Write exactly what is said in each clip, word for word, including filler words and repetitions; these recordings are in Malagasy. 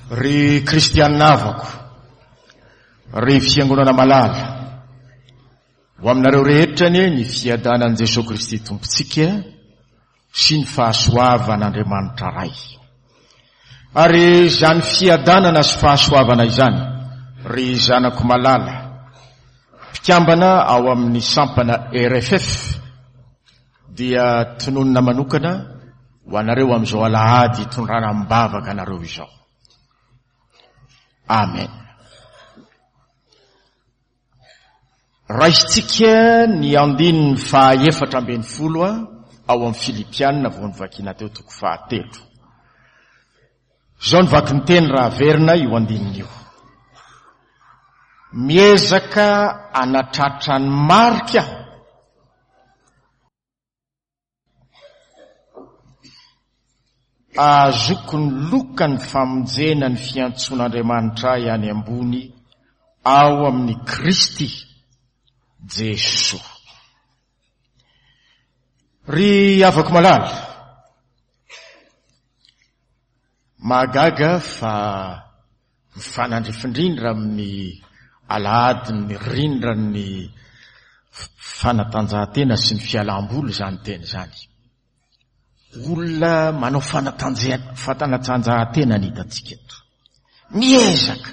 Ry kristianina havako, ry fiangonana malala, ho aminareo rehetra anie ny fiadanan'i Jesoa Kristy Tompontsika sy ny fahasoavan'Andriamanitra Ray. Ary izany fiadanana sy fahasoavana izany, ry zanako malala, mpikambana ao amin'ny sampana R F F, dia tononina manokana ho anareo amin'izao alahady hitondrana am-bavaka anareo izao. Amen. Raisintsika ny andininy fahaefatra ambin'ny folo ao amin'ny Filipiana vao novakiana teo toko fahatelo. Izao ny vakin-teny raha averina io andininy io. Miezaka hanatratra ny marika aho. Ahazoako ny lokan'ny famonjena ny fiantsoan'Andriamanitra ahy any ambony ao amin'ny Kristy Jesoa. Ry havako malala, mahagaga fa mifanandrifindrindra amin'ny alahadin'ny rindran'ny fanatanjahantena sy ny fialam-boly izany teny izany. Olona manao fanatanjea-, fanatanjahantena ny hitantsika eto. Miezaka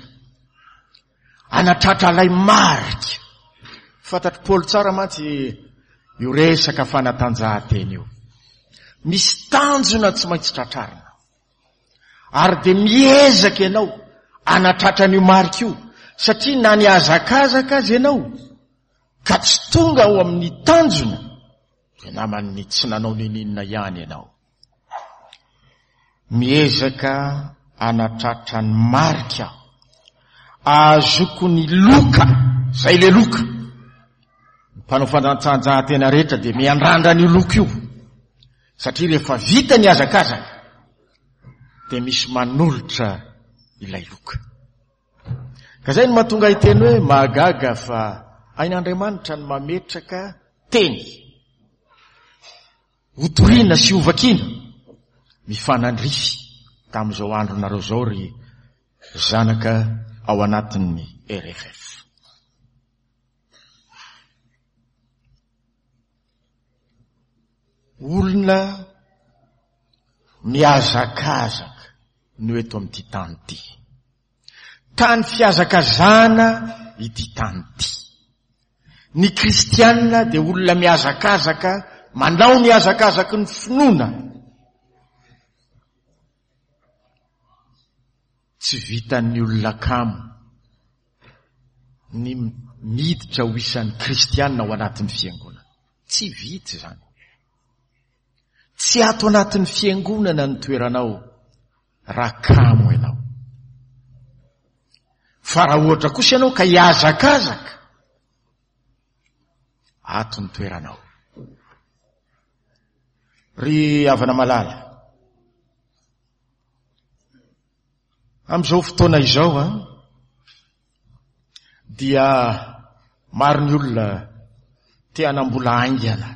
hanatratra ilay marika. Fantatr'i Paoly tsara mantsy io resaka fanatanjahantena io. Misy tanjona tsy maintsy tratrarina. Ary dia miezaka ianao hanatratra an'io marika io, satria na ny hazakazaka aza ianao ka tsy tonga ao amin'ny tanjona, dia naman'ny tsy nanao n'inon'inona ihany ianao. Miezaka hanatratra ny marika aho. Ahazoako ny loka, zay le loka. Ny mpanao fanatanjahantena rehetra dia miandrandra an'io loka io, satria rehefa vita ny hazakazaka dia misy manolotra ilay loka. Ka zay no mahatonga hiteny hoe mahagaga fa hain'Andriamanitra ny mametraka teny hotorina sy hovakiana mifanandrify tamin'izao andronareo izao ry zanaka ao anatin'ny R F F. Olona mihazakazaka no eto amin'ity tany ity. Tany fihazakazahana ity tany ity. Ny kristianina dia olona mihazakazaka, manao ny hazakazaky ny finoana. Tsy vitan'ny olona kamo ny miditra ho isan'ny kristianina ao anatin'ny fiangonana. Tsy vita izany. Tsy ato anatin'ny fiangonana ny toeranao raha kamo ianao. Fa raha ohatra kosa ianao ka hihazakazaka, ato ny toeranao. Ry havana malala, amin'izao fotoana izao a, dia maro ny olona te hanam-bola haingana,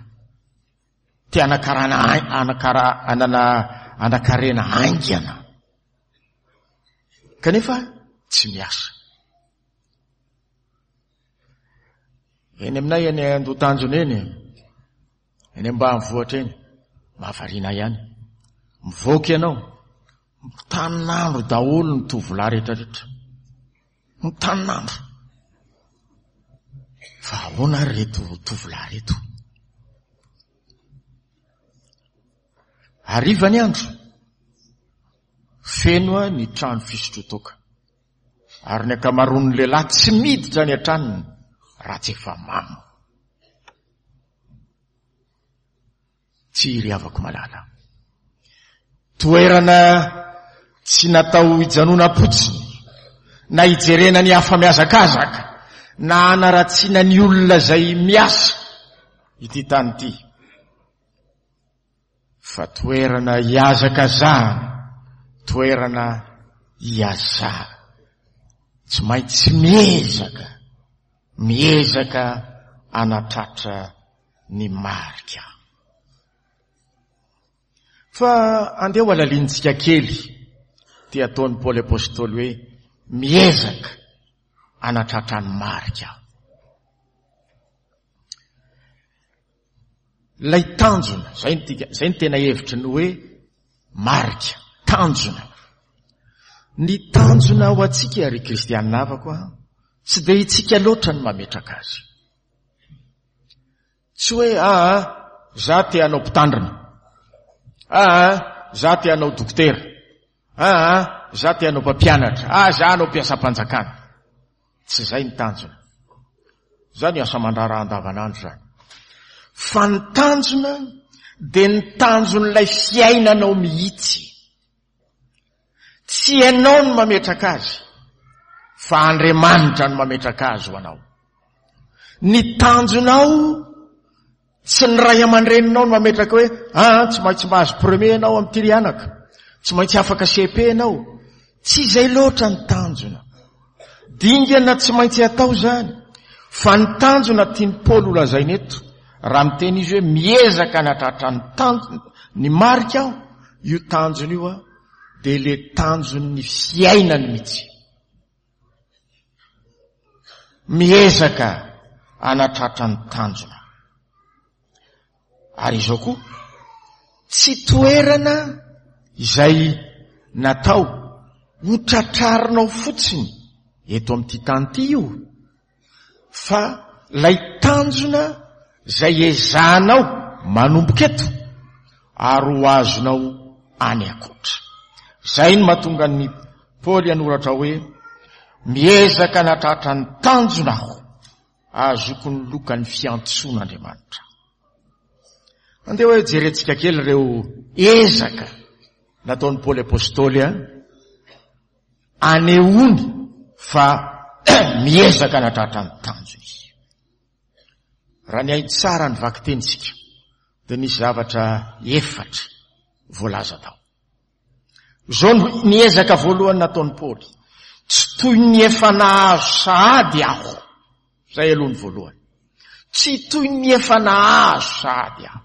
te hanakarana hai-, hanakara-, hanana, hanakarena haingana, kanefa tsy miasa. Eny aminay eny Andotanjona eny, eny ambanivohitra eny, mahavariana ihany. Mivoaka ianao, mitanin'andro daholo ny tovolahy rehetrarehetra. Mitanin'andro. Fa ahoana ary reto tovolahy reto? Hariva ny andro, feno ny trano fisotroan-toaka. Ary ny ankamaroan'ny lehilahy tsy miditra any an-tranony raha tsy efa mamo. Tsy ry havako malala. Toerana tsy natao hijanonam-potsiny, na hijerena ny hafa mihazakazaka, na hanaratsiana ny olona izay miasa ity tany ity. Fa toerana hihazakazahana, toerana hiazahana. Tsy maintsy miezaka, miezaka hanatratra ny marika. Fa andeha ho alalinintsika kely Ty ataon'i Paoly Apostoly hoe miezaka hanatratra ny marika aho. Ilay tanjona, zay ny tika, zay ny tena hevitry ny hoe marika, tanjona. Ny tanjona ho antsika ry kristianina havako a, tsy dia itsika loatra ny mametraka azy. Tsy hoe aa za te hanao mpitandrina, aa za te hanao dokotera, aa za te hanao mpampianatra, aa za hanao mpiasam-panjakana. Tsy zay ny tanjona. Zany asa aman-draharaha andavanandro zany. Fa ny tanjona dia ny tanjon'ilay fiainanao mihitsy. Tsy ianao no mametraka azy, fa Andriamanitra no mametraka azy ho anao. Ny tanjonao tsy ny ray aman-dreninao no mametraka hoe ah, tsy maintsy mahazo premier ianao amin'ity ry anaka, tsy maintsy afaka C P ianao. Tsy izay loatra ny tanjona. Dingana tsy maintsy atao zany. Fa ny tanjona tian'i Paoly ho lazaina eto, raha miteny izy hoe miezaka hanatratra ny tanjona, ny marika aho, io tanjona io a, dia le tanjon'ny fiainany mihitsy. Miezaka hanatratra ny tanjona. Ary izao koa, tsy toerana izay natao ho tratrarinao fotsiny eto amin'ity tany ity io, fa lay tanjona izay ezahanao manomboka eto ary ho azonao any ankoatra. Izay no mahatonga ny Paoly hanoratra hoe miezaka hanatratra ny tanjona aho, ahazoako ny lokan'ny fiantsoan'Andriamanitra. Andeha hoe jerentsika kely ireo ezaka nataon'i Paoly Apostoly a, anehoany fa miezaka hanatratra ny tanjona izy. Raha nihaino tsara ny vakitentsika dia nisy zavatra efatra voalaza tao. Izao ny ezaka voalohany nataon'i Paoly. Tsy toy ny efa nahazo sahady aho. Izay aloha ny voalohany. Tsy toy ny efa nahazo sahady aho.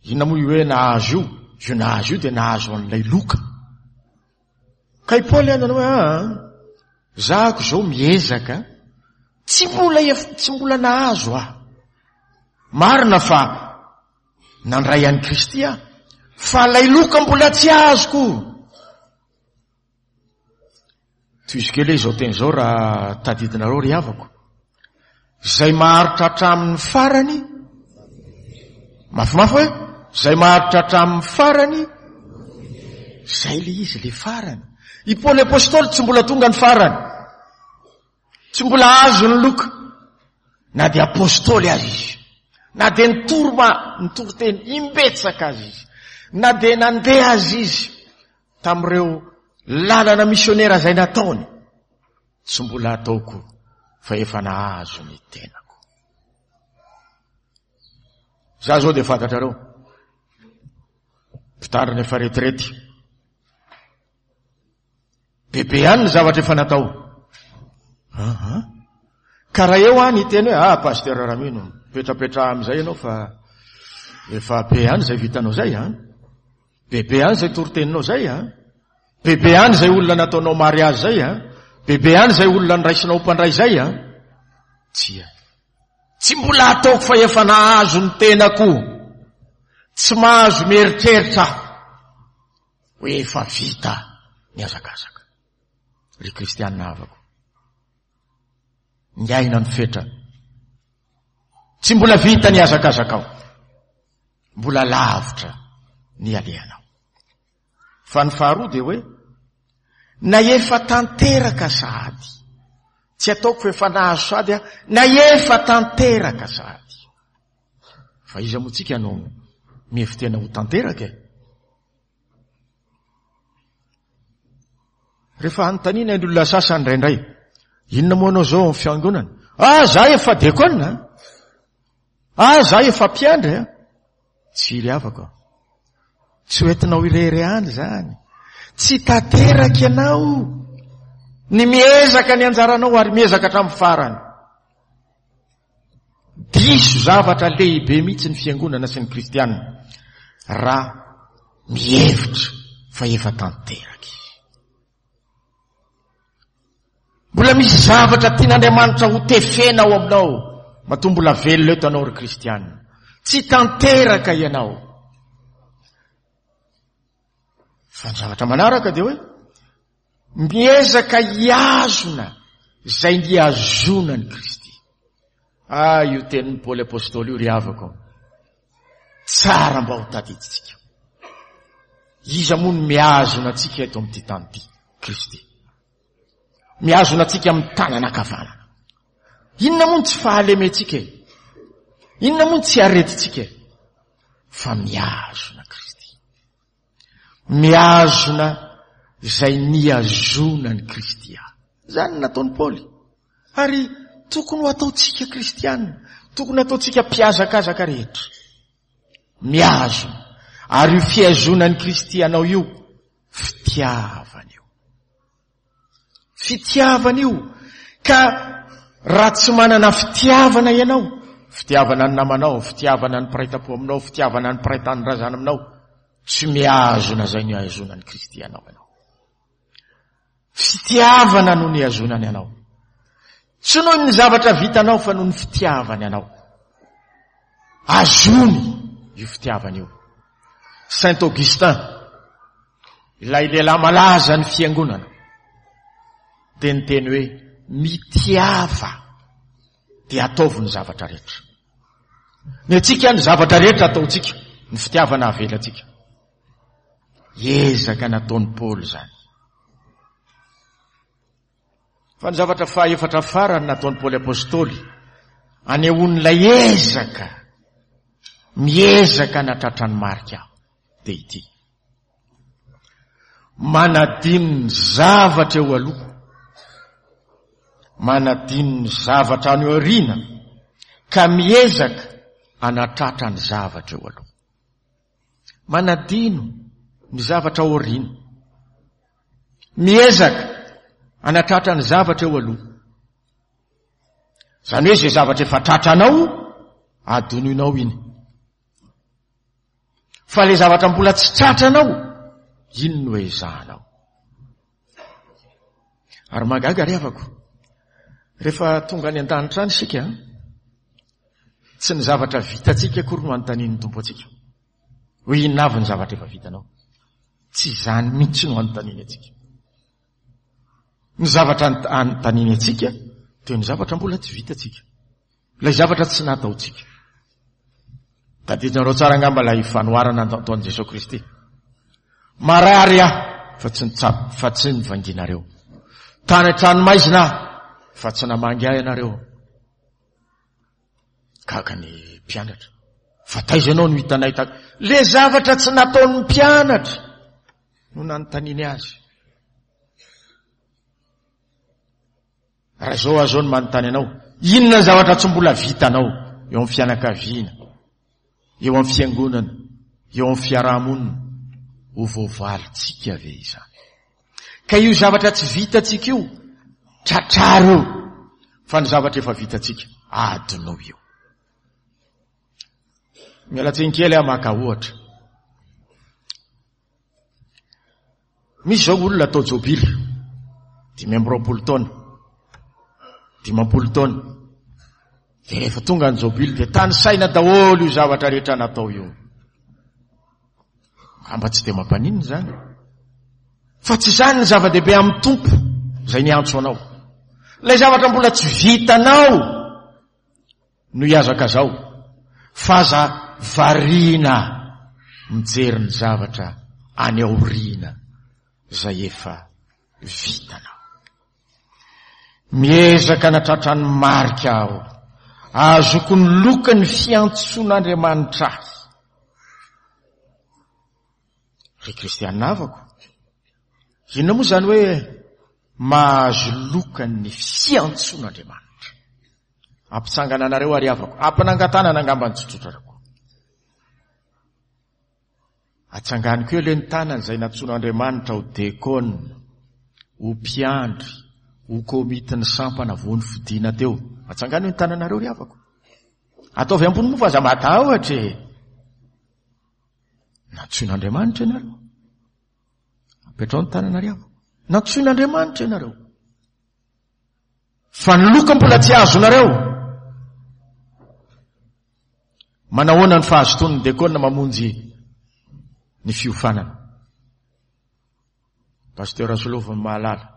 Inona moa io hoe nahazo io? Io nahazo io dia nahazo an'ilay loka. Ka i Paoly nanao hoe, ah, zahako izao miezaka, tsy mbola ef-, tsy mbola nahazo aho. Marina fa nandray an'i Kristy aho, fa ilay loka mbola tsy azoko. Tohizo kely izao teny izao raha tadidinareo ry havako. Izay maharitra hatramin'ny farany, mafimafy hoe, izay maharitra hatramin'ny farany, izay le izy le farany. I Paoly Apostoly tsy mbola tonga ny farany. Tsy mbola azo ny loka. Na dia apostoly aza izy. Na dia nitory ma-, nitory teny imbetsaka aza izy. Na dia nandeha aza izy tamin'ireo lalana misionera izay nataony. Tsy mbola ataoko fa efa nahazo ny tenako. Za zao dia fantatrareo. Mpitandrina efa retirety. Bebe ihany ny zavatra efa natao. Aha. Ka raha eo any hiteny hoe, ah, Pasteur Ramino, mipetrapetraha amin'izay ianao fa efa be ihany izay vitanao izay, an? Bebe ihany izay toriteninao izay, an? Bebe ihany izay olona nataonao mariazy izay, an? Bebe ihany izay olona niraisinao mpandray izay, an? Tsia. Tsy mbola ataoko fa efa nahazo ny tenako. Tsy mahazo mieritreritra aho hoe efa vita ny hazakazaka. Ry kristianina havako, ny aina ny fetra. Tsy mbola vita ny hazakazakao. Mbola lavitra ny alehanao. Fa ny faharoa dia hoe, na efa tanteraka sahady. Tsy ataoko fa efa nahazo sahady aho, na efa tanteraka sahady. Fa iza moa tsika no mihevi-tena ho tanteraka e? Rehefa anontaniana ny olona sasany indraindray, inona moa anao zao amin'ny fiangonana? Ah, za efa diakona. Ah, za efa mpiandry. Tsy ry havako. Tsy hoentinao irery ihany zany. Tsy tanteraka ianao. Ny miezaka ny anjaranao ary miezaka hatramin'ny farany. Diso zavatra lehibe mihitsy ny fiangonana sy ny kristianina raha mihevitra Fa efa tanteraka izy. Mbola misy zavatra tian'Andriamanitra ho tefena ao aminao. Matoa mbola velona eto anao ry kristianina. Tsy tanteraka ianao. Fa ny zavatra manaraka dia hoe miezaka hiazona izay nihazonan'i Kristy. Ah, io tenin'i Paoly Apostoly io ry havako. Tsara mba ho tadidintsika. Iza moa no mihazona antsika eto amin'ity tany ity? Kristy. Mihazona antsika amin'ny tanana ankavanana. Inona moa no tsy fahalementsika e? Inona moa no tsy aretintsika e? Fa mihazona Kristy. Mihazona izay nihazonan'i Kristy ahy. Izany no nataon'i Paoly. Ary tokony ho ataontsika kristianina, tokony ataontsika mpihazakazaka rehetra. Mihazona. Ary io fihazonan'i Kristy anao io, fitiavana io. Fitiavana io. Ka raha tsy manana fitiavana ianao, fitiavana ny namanao, fitiavana ny mpiray tampo aminao, fitiavana ny mpiray tanindrazana aminao, tsy mihazona izay nihazonan'i Kristy anao ianao. Fitiavana no nihazonany anao. Tsy noho ny zavatra vitanao fa noho ny fitiavany anao. Azony io fitiavana io. Saint Augustin, ilay lehilahy malaza ny fiangonana, dia niteny hoe mitiava dia ataovy ny zavatra rehetra. Ny antsika ny zavatra rehetra ataontsika, ny fitiavana avelantsika. Ezaka nataon'i Paoly izany. Fa ny zavatra fahaefatra farany nataon'i Paoly Apostoly, anehoan'ilay ezaka, miezaka natratra ny marika dia ity. Manadino ny zavatra eo aloha, manadino ny zavatra any aoriana, ka miezaka anatratra ny zavatra eo aloha. Manadino ny zavatra aoriana, miezaka anatratra ny zavatra eo aloha. Izany hoe izay zavatra efa tratranao, adinoinao iny. Fa ilay zavatra mbola tsy tratranao, iny no ezahanao. Ary mahagaga ry havako, rehefa tonga any an-danitra any isika, tsy ny zavatra vitantsika akory no anontanian'ny Tompo antsika. Hoe inona avy ny zavatra efa vitanao? Tsy izany mihitsy no anontaniany antsika. Ny zavatra anontaniany antsika dia ny zavatra mbola tsy vitantsika. Ilay zavatra tsy nataontsika. Tadidinareo tsara angamba ilay fanoharana nataon'i Jesoa Kristy. Marary aho fa tsy nitsabo, fa tsy nivanginareo. Tany an-tranomaizina aho fa tsy namangy ahy ianareo. Gaga ny mpianatra. Fa taiza ianao no hitanay ta-? Le zavatra tsy nataon'ny mpianatra no nanontaniany azy. Raha izao aho izao no manontany anao, inona ny zavatra tsy mbola vitanao eo amin'ny fianakaviana, eo amin'ny fiangonana, eo amin'ny fiarahamonina? Ho voavalintsika ve izany? Ka io zavatra tsy vitantsika io, tratraro io, fa ny zavatra efa vitantsika, adinao io. Miala tsiny kely aho maka ohatra. Misy izao olona atao jobily, dimy amby roapolo taona, dimampolo taona. Dia rehefa tonga ny jobily dia tanisaina daholo io zavatra rehetra natao io. Angamba tsy dia mampaninona izany. Fa tsy izany ny zava-dehibe amin'ny Tompo izay niantso anao. Ilay zavatra mbola tsy vitanao no ihazakazao, fa aza variana mijery ny zavatra any aoriana izay efa vitanao. Miezaka natratra ny marika aho, ahazoako ny lokan'ny fiantsoan'Andriamanitra ahy. Ry kristianina havako, inona moa izany hoe mahazo lokan'ny fiantsoan'Andriamanitra? Ampitsangana anareo ary havako, ampanangan-tanana angamba ny tsotsotrarako. Atsanganiko eo le ny tanany izay nantsoin'Andriamanitra ho dekona, ho mpiandry, ho komitin'ny sampana vao nofidina teo. Atsangano eo ny tananareo ry havako. Ataovy ambony moa fa aza matahotra e. Nantsoin'Andriamanitra ianareo. Petrao ny tanana ry havana. Nantsoin'Andriamanitra ianareo. Fa ny loka mbola tsy azonareo. Manahoana ny fahazotoan'ny dekona mamonjy ny fiofanana? Pasteur Solofo ny mahalala.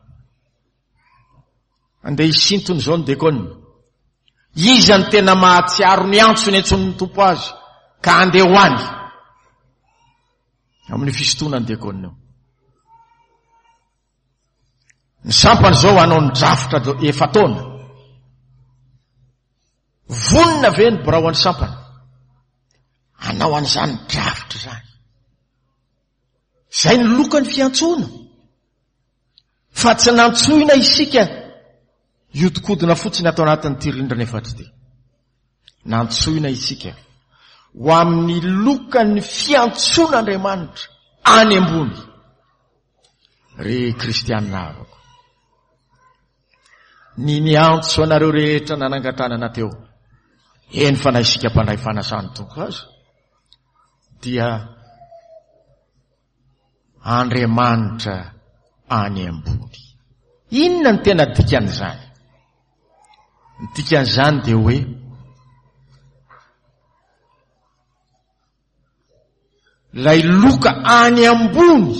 Andeha hisintona izao ny dekona. Iza ny tena mahatsiaro ny antso ny antson'ny Tompo azy ka andeha ho any amin'ny fisintonan'ny dekona io. Ny sampana izao hanao ny drafitra efa-taona. Vonona ve ny birao an'ny sampana hanao an'izany drafitra izany? Izay ny lokan'ny fiantsoana. Fa tsy nantsoina isika hiodikodina fotsiny ato anatin'ity rindrina efatra ity. Nantsoina isika ho amin'ny lokan'ny fiantsoan'Andriamanitra any ambony. Ry kristianina havako, ny niantso anareo rehetra nanangan-tanana teo, eny fa na isika mpandray fanasan'ny Tompo azy, dia Andriamanitra any ambony. Inona ny tena dikan'izany? Ny dikan'izany dia hoe ilay loka any ambony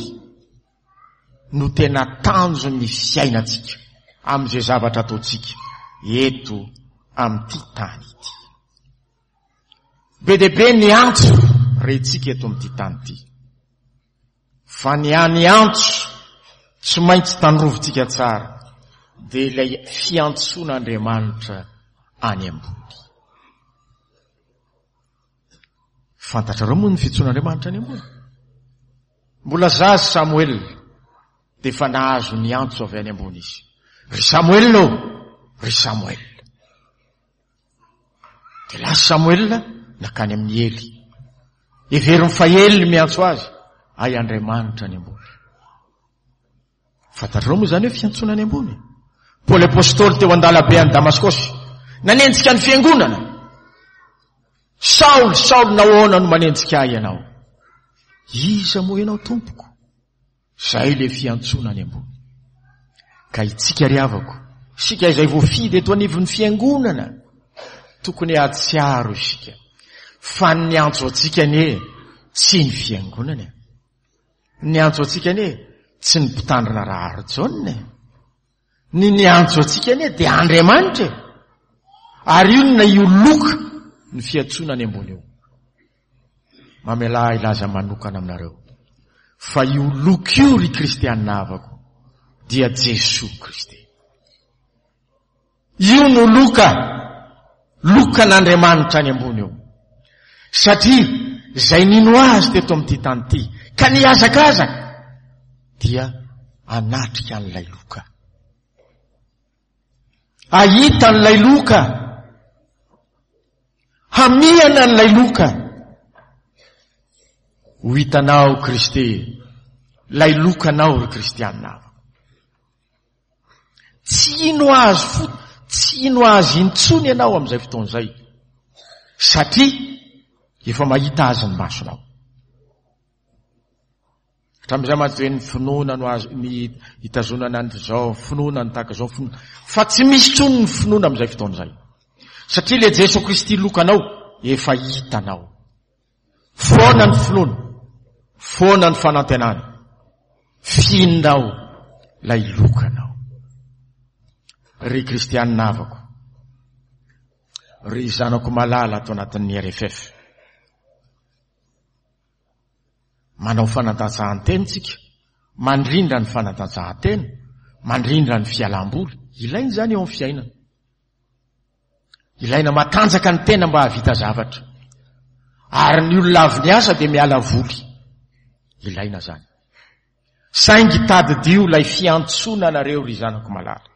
no tena tanjon'ny fiainantsika amin'izay zavatra ataontsika eto amin'ity tany ity. Be dia be ny antso rentsika eto amin'ity tany ity. Fa ny any antso tsy maintsy tandrovintsika tsara dia ilay fiantsoan'Andriamanitra any ambony. Fantatrareo moa ny fiantsoan'Andriamanitra any ambony? Mbola zaza Samoela dia efa nahazo ny antso avy any ambony izy. Ry Samoela ô, ry Samoela. Dia lasa Samoela nakany amin'i Ely. Heveriny fa Ely miantso azy, ay Andriamanitra any ambony. Fantatrareo moa izany hoe fiantsoana any ambony? Paoly Apostoly teo an-dalabe any Damaskosy, nanenjika ny fiangonana. Saoly, Saoly, nahoana no manenjika ahy ianao? Iza moa ianao tompoko? Izay ilay fiantsoana any ambony. Ka itsika ry havako, isika izay voafidy eto anivon'ny fiangonana, tokony hahatsiaro isika fa ny antso antsika anie tsy ny fiangonana. Ny antso antsika anie tsy ny mpitandrina Raharijaona e. Ny niantso antsika anie dia Andriamanitra e. Ary inona io loka ny fiantsoana any ambony io? Mamelà hilaza manokana aminareo fa io loka io ry kristianina havako dia Jesoa Kristy. Io no loka, lokan'Andriamanitra any ambony io. Satria izay nino azy teto amin'ity tany ity ka nihazakazaka dia hanatrika an'ilay loka. Hahita an'ilay loka. Hamihana an'ilay loka. Ho hitanao Kristy, ilay lokanao ry kristianina. Tsy hino azy fo, tsy hino azy intsony ianao amin'izay fotoana izay. Satria efa mahita azy ny masonao. Hatramin'izay mantsy hoe ny finoana no azo ny hitazonana an'izao, finoana ny tahaka izao, finoana. Fa tsy misy intsony ny finoana amin'izay fotoana izay. Satria ilay Jesoa Kristy lokanao efa hitanao. Foana ny finoana, foana ny fanantenana. Fihinao ilay lokanao. Ry kristianina havako, ry zanako malala ato anatin'ny R F F. Manao fanatanjahantena tsika, mandrindra ny fanatanjahantena, mandrindra ny fialam-boly. Ilaina izany eo amin'ny fiainana. Ilaina matanjaka ny tena mba hahavita zavatra. Ary ny olona avy niasa dia miala voly. Ilaina izany. Saingy tadidio ilay fiantsoana anareo ry zanako malala.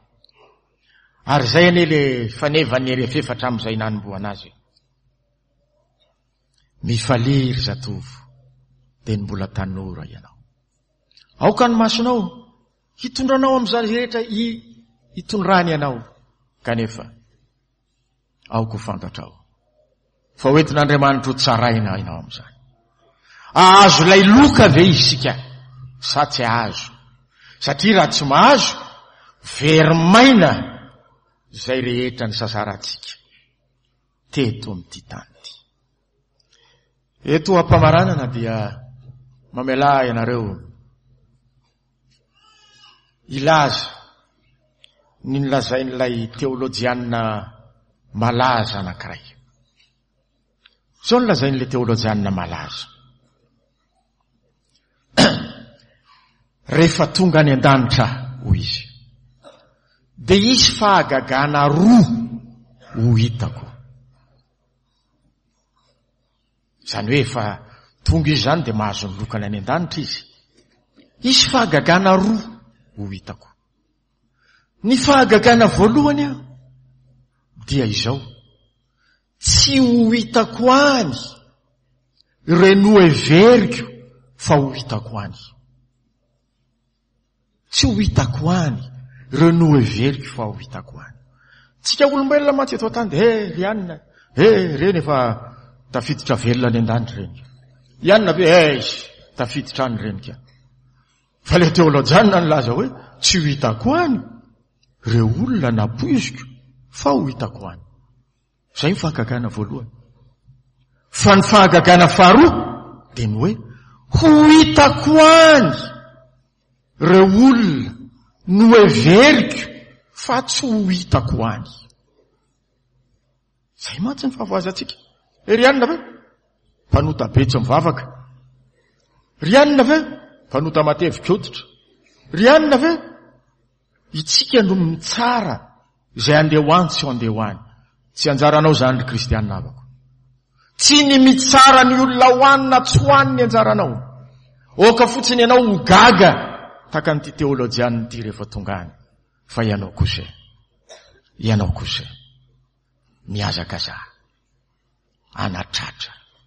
Ary izay anie le fanevan'ny R F F hatramin'izay nanombohana azy. Mifalia ry zatovo, dia ny mbola tanora ianao. Aoka ny masonao hitondranao amin'izany rehetra hitondrany ianao. Kanefa, aoka ho fantatrao fa hoentin'Andriamanitra ho tsaraina ianao amin'izany. Ahazo ilay loka ve isika sa tsy ahazo? Satria raha tsy mahazo, very maina izay rehetra nisasarantsika teto amin'ity tany ity. Eto am-pamaranana dia mamelà ianareo hilaza ny nolazain'ilay teolojianina malaza anankiray. Izao no lazain'ilay teolojianina malaza. Rehefa tonga any an-danitra, hoy izy, dia hisy fahagagana roa ho hitako. Izany hoe efa tonga izy izany dia mahazo ny lokany any an-danitra izy. Hisy fahagagana roa ho hitako. Ny fahagagana voalohany aho dia izao, tsy ho hitako any ireo noheveriko fa ho hitako any. Tsy ho hitako any ireo noheveriko fa ho hitako any. Tsika olombelona mantsy eto an-tany dia he ry anina, he reny efa tafiditra velona any an-danitra reny. I anina ve he tafiditra any reny ka. Fa ilay teolojianina nilaza hoe tsy ho hitako any ireo olona nampoiziko fa ho hitako any. Izay ny fahagagana voalohany. Fa ny fahagagana faharoa dia ny hoe ho hitako any ireo olona noheveriko fa tsy ho hitako any. Izay mantsy ny fahavoazantsika. E ry anina ve? Mpanota be tsy mivavaka. Ry anina ve? Mpanota matevika hoditra. Ry anina ve? Itsika no mitsara izay andeha ho any tsy andeha ho any. Tsy anjaranao izany ry kristianina havako. Tsy ny mitsara ny olona ho any na tsy ho any ny anjaranao. Oka fotsiny ianao ho gaga tahaka an'ity teolojianina ity rehefa tonga any. Fa ianao kosa, ianao kosa mihazakazaha hanatratra